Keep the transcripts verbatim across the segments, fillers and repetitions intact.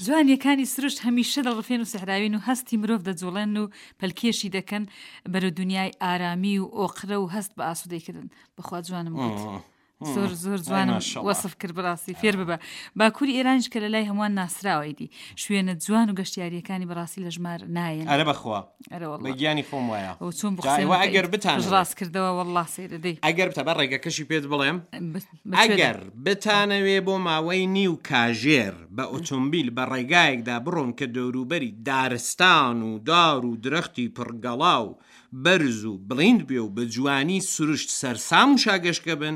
جوانیەکانی سروشت هەمیشە دڵڕفێن و سەحراوین و هەستی مرۆڤ دەجوڵێن و پەلکێشی دەکەن بەرەو دنیای ئارامی و ئۆقرە و هەست بە ئاسوودەیکردن. بەخوا جوانم گوت. زۆر زۆر جوانم وەسف کرد، بەڕاستی فێر ببە. باکووری ئێرانیش کە لە لای هەمووان ناسراوە، ئیدی شوێنە جوان و گەشتیاریەکانی بەڕاستی لە ژمار نایەن. ئەرە بەخوا ئەرە وەڵڵا بە گیانی خۆم وایە. ئەو چۆن جا ئێوە ئەگەر بتانەوێ ڕاست کردەوە وەڵڵا سەیرە دەی. ئەگەر بتە بە ڕێگەکەشی پێت بڵێم، بە- بە کوێدا؟ ئەگەر بتانەوێ بۆ ماوەی نیو کاژێر بە ئۆتۆمبیل بە ڕێگایەکدا بڕۆن کە دەوروبەری دارستان و دار و درەختی پڕگەڵا و بەرز و بڵیند بێ و بە جوانی سروشت سەرسام و شاگەشکە بن،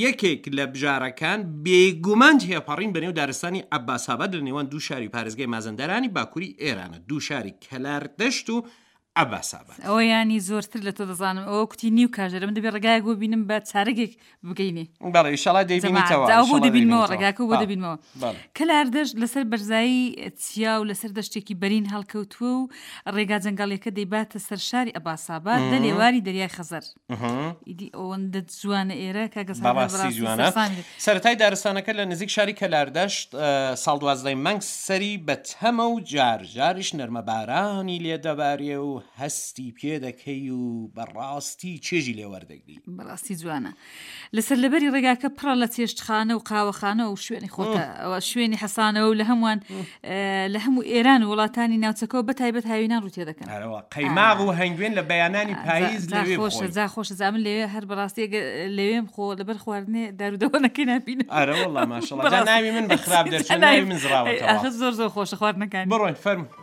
یەکێک لە بژارەکان بێگومان تێپەڕین بەنێو دارستانی عەباسئاباد لە نێوان دوو شاری پارێزگای مازەندەرانی باکووری ئێرانە، دوو شاری کەلاردەشت و عەباسئاباد. ئەوە ینی زۆرتر لە تۆ دەزانم. ئەوە کوتی نیو کاژێرە، من دەبێ ڕێگایەک بۆ بینم بە چارەگێک بگەینێ. بەڵێ ئیشەڵا دەیبینیتەوە. جا بۆ ئیشەڵا دەبینمەوە، دەیبینیتەوە. ڕێگاکە بۆ بەڵێ. دەبینمەوە. بەڵێ. کەلاردەشت لەسەر بەرزایی چیا و لەسەر دەشتێکی بەرین هەڵکەوتووە و ڕێگا جەنگەڵیەکە دەیباتە سەر شاری ئەباساباد لە لێواری دەریای خەزەر. ئیدی ئەوەندە جوانە ئێرە کاکە سەردار، بەڕاستی بەڕاستی جوانە. سەرسامی دەکەی. سەرەتای دارستانەکە لە نزیک شاری کەلاردەشت ساڵ دوازدەی مانگ سەری بە تەمە و جار جاریش نەرمەبارانی لێ دەبارێ و هەستی پێ دەکەی و بەڕاستی چێژی لێ وەردەگری. بەڕاستی جوانە. لەسەر لەبەری ڕێگاکە پڕە لە چێشتخانە و قاوەخانە و شوێنی خۆتە، ئەوە شوێنی حەسانەوە و لە هەمووان لە هەموو ئێران و وڵاتانی ناوچەکەەوە بە تایبەت هاوینان ڕوو تێ دەکەن. ئەرەوە قەیماغ و هەنگوێن لە بەیانانی پاییز جا لەوێ خۆشە، بخۆی. جا خۆشە، جا من لەوێ هەر بەڕاستی ئەگەر لەوێم خۆ لەبەر خواردنێ دارودەوەنەکەی نابینم. ئەرە وەڵا ماشەڵڵا. جا بەڕاستی. ناوی من بە خراپ دەرچوو، جا ناوی من زڕاوەتەوە. ئاخر زۆر زۆر خۆشە خواردنەکانی. بڕۆین فەرموو.